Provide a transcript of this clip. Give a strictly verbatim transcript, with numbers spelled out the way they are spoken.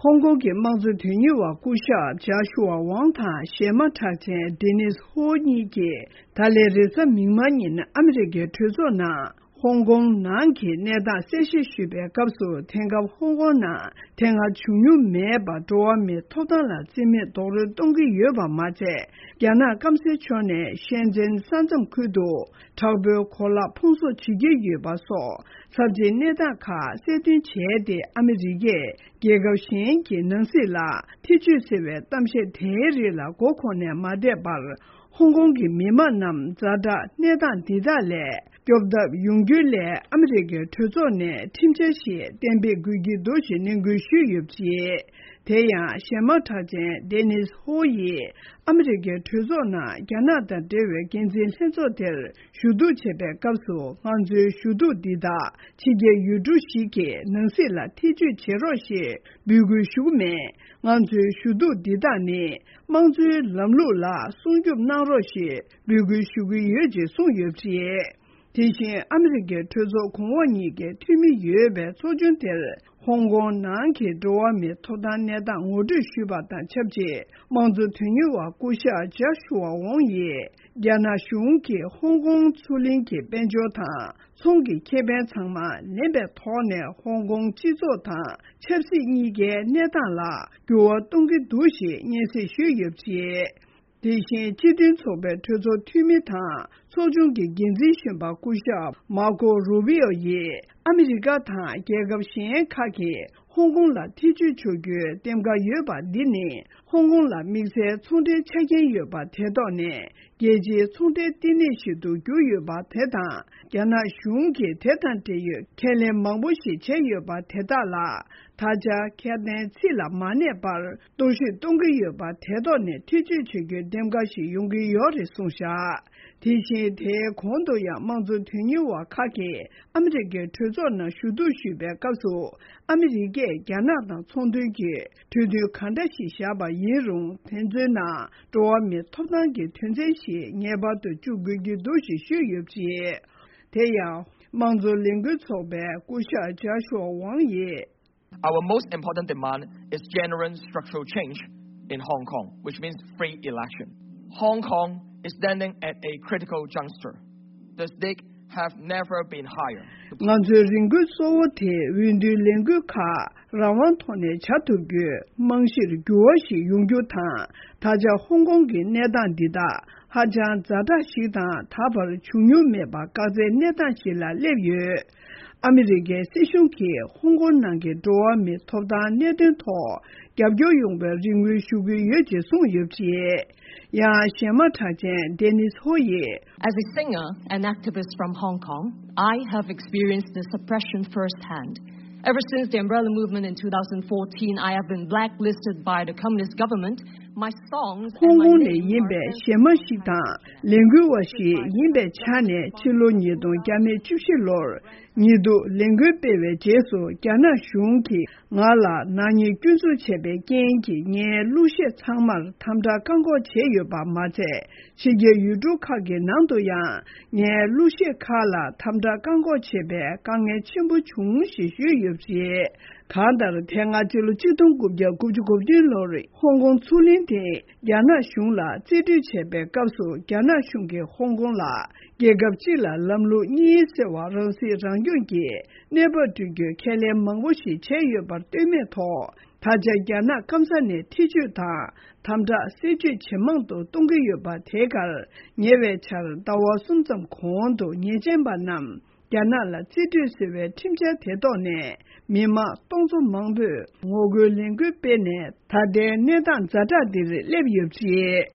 ཧོང་ཀོང་གི་དམངས་གཙོ་དོན་གཉེར་བ་སྐུ་ཞབས་ཇཱ་ཤུ་ཝ་ཝང་དང་གཞས་མ་གྲགས་ཅན་ཌེ་ནིས་ཧོ་གཉིས་ཀྱིས་ད་ལན་རེས་གཟའ་མིག་དམར་ཉིན་ཨ་མི་རི་ཀའི་གྲོས་ཚོགས་ནང་ཧོང་ཀོང་ནང་གི་གནས་སྟངས་གསལ་བཤད་ཞུས་པའི་སྐབས་སུ། དེང་སྐབས་ཧོང་ཀོང་ནང་དེ་སྔ་བྱུང་མྱོང་མེད་པར་འགྲོ་བ་མིའི་ཐོབ་ཐང་ལ་བརྩི་མེད་རྡོག་རོལ་གཏོང་གི་ཡོད་པ་མ་ཚད། རྒྱ་ནག་སྐམ་སའི་ཕྱོགས་ནས་ཤན་ཅན་ས་མཚམས་ཁུལ་དུ་དྲག་པོའི་གོ་ལག་ཕུང་གསོག་བྱེད་ཀྱི་ཡོད་པ་སོགས་ཚབས་ཆེའི་གནས་སྟངས་ཁག་གསལ་སྟོན་བྱས་ཏེ། ཨ་མི་རི་ཀས་རྒྱལ་ཁབ་གཞན་གྱི་ནང་སྲིད་ལ་ཐེ་བྱུས་ཟེར་བའི་གཏམ་བཤད་དེའི་རིགས་ལ་མགོ་འཁོར་ནས་མ་བསྡད་པར། ཧོང་ཀོང་གི་མི་དམངས་རྣམས་ཛ་དྲག་གནས་སྟངས་འདི་དག་ལས་སྐྱོབ་ཐབས་ཡོང་རྒྱུའི་སླད། ཨ་མི་རི་ཀའི་གྲོས་ཚོགས་ནས་ཁྲིམས་འཆར་ཞིག་གཏན་འབེབས་དགོས་ཀྱི་འདུག་ཅེས་ནན་སྐུལ་ཞུས་ཡོད་པ་རེད། དེ་ཡང་གཞས་མ་གྲགས་ཅན་ཌེ་ནིས་ཧོ་ཡིས་ཨ་མི་རི་ཀའི་གྲོས་ཚོགས་ནང་རྒྱ་ནག་དང་འབྲེལ་བའི་འགན་འཛིན་ལྷན་ཚོགས་དེར་ཞུ་གཏུག་བྱེད་པའི་སྐབས་སུ། ང་ཚོའི་ཞུ་གཏུག་འདི་དག་ཕྱི་རྒྱལ་ཡུལ་གྲུ་ཞིག་གི་ནང་སྲིད་ལ་ཐེ་བྱུས་བྱེད་རོགས་ཞེས་འབོད་སྐུལ་ཞུ་གི་མེད། ང་ཚོའི་ཞུ་གཏུག་འདི་དག་ནི་དམངས་གཙོའི་ལམ་ལུགས་ལ་སྲུང་སྐྱོབ་གནང་རོགས་ཞེས་འབོད་སྐུལ་ཞུ་གི་ཡོད་ཅེས་གསུངས་ཡོད་པ་རེད། དེ་བཞིན་ཨ་མི་རི་ཀའི་གྲོས་ཚོགས་གོང་འོག་གཉིས་ཀའི་འཐུས་མི་ཡོད་པའི་ཚོགས་ཆུང་དེར་ཧོང་ཀོང་ནང་གི་འགྲོ་བ་མིའི་ཐོབ་ཐང་གནས་སྟངས་ངོ་སྤྲོད་ཞུས་པ་དང་ཆབས་ཅིག་དམངས་གཙོ་དོན་གཉེར་བ་སྐུ་ཞབས་ཇཱ་ཤུ་ཝ་ཝོང་ཡིས། རྒྱ་ནག་གཞུང་གིས་ཧོང་ཀོང་མཚོ་གླིང་གི་དཔལ་འབྱོར་དང་ཚོང་གི་ཁེ་ཕན་ཚང་མ་ལེན་པའི་ཐོག་ནས། ཧོང་ཀོང་སྤྱི་ཚོགས་དང་ཆབ་སྲིད་གཉིས་ཀའི་གནས་སྟངས་ལ་འགྱུར་བ་གཏོང་གི་འདུག་ཅེས་སྙན་སེང་ཞུས་ཡོད་པ་རེད། དེ་བཞིན་སྤྱི་མཐུན་ཚོགས་པའི་གྲོས་ཚོགས་འཐུས་མི་དང་ཚོགས་ཆུང་གི་འགན་འཛིན་གཞོན་པ་སྐུ་ཞབས་མར་ཀོ་རུ་བྷི་ཨོ་ཡིས། ཨ་མི་རི་ཀ་དང་རྒྱལ་ཁབ་གཞན་ཁག་གིས་ཧོང་ཀོང་ལ་ཐེ་བྱུས་བྱ་རྒྱུའི་འདེམས་ཀ་ཡོད་པ་འདི་ནི། ཧོང་ཀོང་ལ་དམིགས་བསལ་ཚོང་འབྲེལ་ཆ་རྐྱེན་ཡོད་པ་དེ་ཐོག་ནས་རྒྱལ་སྤྱིའི་ཚོང་འབྲེལ་ལྟེ་གནས་ཤིག་ཏུ་གྱུར་ཡོད་པ་དེ་དང་། རྒྱ་ནག་གཞུང་གིས་དེ་དང་འབྲེལ་ཡོད་ཁས་ལེན་མང་པོ་ཞིག་བྱས་ཡོད་པ་དེ་དག་ལ། ད་ཆ་ཁ་དན་ཚིག་ལ་མ་གནས་པར་གཏོར་བཤིག་གཏོང་གི་ཡོད་པ་དེ་ཐོག་ནས་ཐེ་བྱུས་བྱ་རྒྱུའི་འདེམས་ཀ་ཞིག་ཡོང་གི་ཡོད་རེད་གསུངས་བཞག་དེ་བཞིན་དེའི་གོང་དུ་ཡང་དམངས་གཙོ་དོན་གཉེར་བ་ཁག་གིས་ཨ་མི་རི་ཀའི་གྲོས་ཚོགས་ནང་ཞུ་གཏུག་ཞུས་པའི་སྐབས་སུ། ཨ་མི་རི་ཀས་རྒྱ་ནག་དང་ཚོང་དོན་གྱི་གྲོས་མཐུན་གང་འདྲ་ཞིག་བཞག་པ་ཡིན་རུང་། དེ་ཚོའི་ནང་འགྲོ་བ་མིའི་ཐོབ་ཐང་གི་དོན་ཚན་ཞིག་ངེས་པར་དུ་བཅུག་དགོས་ཀྱི་འདུག་ཅེས་ཞུས་ཡོད་པ་རེད། དེ་ཡང་། དམངས་གཙོ་ལས་འགུལ་ཚོགས་པའི་སྐུ་ཞབས་ཇཱ་ཤུ་ཝ་ཝང་ཡིས། Our most important demand is genuine structural change in Hong Kong, which means free election. Hong Kong is standing at a critical juncture. The stakes have never been higher. ང་ཚོའི་རེ་འདུན་གཙོ་བོ་དེ། འོས་བསྡུའི་ལས་འགུལ་ཁག་རང་དབང་ཐོག་ནས་བྱ་ཐུབ་རྒྱུའི་རྨང་གཞིར་འགྱུར་བ་ཞིག་ཡོང་རྒྱུ་དང་། ད་ཆ་ཧོང་ཀོང་གི་གནས་སྟངས་འདི་དག་ཧ་ཅང་ཛ་དྲག་ཞིག་དང་། ད་བར་བྱུང་མྱོང་མེད་པ་དཀའ་ཚེགས་གནས་སྟངས་ཤིག་ལ་སླེབས་ཡོད། ཨ་མི་རི་ཀའི་སྲིད་གཞུང་གིས་ཧོང་ཀོང་ནང་གི་འགྲོ་བ་མིའི་ཐོབ་ཐང་གནད་དོན་ཐོག་རྒྱབ་སྐྱོར་ཡོང་བའི་རེ་སྨོན་ཞུ་གི་ཡོད་ཅེས་གསུངས་ཡོད་པ་རེད། ཡང་གཞས་མ་གྲགས་ཅན་ཌེ་ནིས་ཧོ་ཡིས། As a singer and activist from Hong Kong, I have experienced the suppression firsthand. Ever since the Umbrella Movement in two thousand fourteen, I have been blacklisted by the communist government. My songs and ཧོང་ཀོང་ནས་ཡིན་པའི་གཞས་མ་ཞིག་དང་ལས་འགུལ་བ་ཞིག་ཡིན་པའི་ཆ་ནས། ཕྱི་ལོ་ཉིས་སྟོང་བརྒྱ་མེད་བཅུ་བཞི་ལོར་ཉེས་འཛུགས་ལས་འགུལ་སྤེལ་བའི་རྗེས་སུ། རྒྱ་ནག་གཞུང་གིས་ང་ལ་ནག་ཉེས་སྐྱོན་འཛུགས་བྱས་པའི་རྐྱེན་གྱིས། ངའི་གླུ་གཞས་ཚང་མར་དམ་དྲག་བཀག་འགོག་བྱས་ཡོད་པ་མ་ཚད། ཕྱི་རྒྱལ་ཡུལ་གྲུ་ཁག་གི་ནང་དུ་ཡང་ངའི་གླུ་གཞས་ཁག་ལ་དམ་དྲག་བཀག་འགོག་བྱས་པས་དཀའ་ངལ་ཆེན་པོ་བྱུང་ཞེས་ཞུས་ཡོད་པ་རེད། གང་ལྟར། དེ་སྔ་སྤྱི་ལོ་གཅིག་སྟོང་དགུ་བརྒྱ་དགུ་བཅུ་གོ་བདུན་ལོར་ཧོང་ཀོང་མཚོ་གླིང་དེ་རྒྱ་ནག་གཞུང་ལ་རྩིས་སྤྲོད་བྱས་པའི་སྐབས་སུ། རྒྱ་ནག་གཞུང་གིས་ཧོང་ཀོང་ལ་རྒྱལ་ཁབ་སྤྱི་ལ་ལམ་ལུགས་གཉིས་ཟེར་བ། རང་སྲིད་རང་སྐྱོང་གི་གནས་བབ་བསྐྲུན་རྒྱུའི་ཁས་ལེན་མང་པོ་ཞིག་བྱས་ཡོད་པར་ལྟོས་མེད་ཐོག་ད་ཆ་རྒྱ་ནག་སྐམ་ས་ནས་ཐེ་བྱུས་དང་དམ་དྲག་བསད་རྒྱུ་ཇེ་མང་དུ་གཏོང་གི་ཡོད་པ་དེ་གར། ཉེ་བའི་ཆར་ཟླ་བ་གསུམ་ཙམ་གོང་དུ་ཉེས་ཅན་པ་རྣམས་རྒྱ་ནག་ལ་རྩིས་སྤྲོད་ཟེར་བའི་ཁྲིམས་འཆར་དེ་ཐོག་ནས་མི་མང་སྟོང་ཚོ་མང་པོས་ངོ་རྒོལ་ལས་འགུལ་སྤེལ་ནས། ད་ལྟའི་གནས་སྟངས་ཛ་དྲག་འདིར་སླེབས་ཡོད་པ་རེད།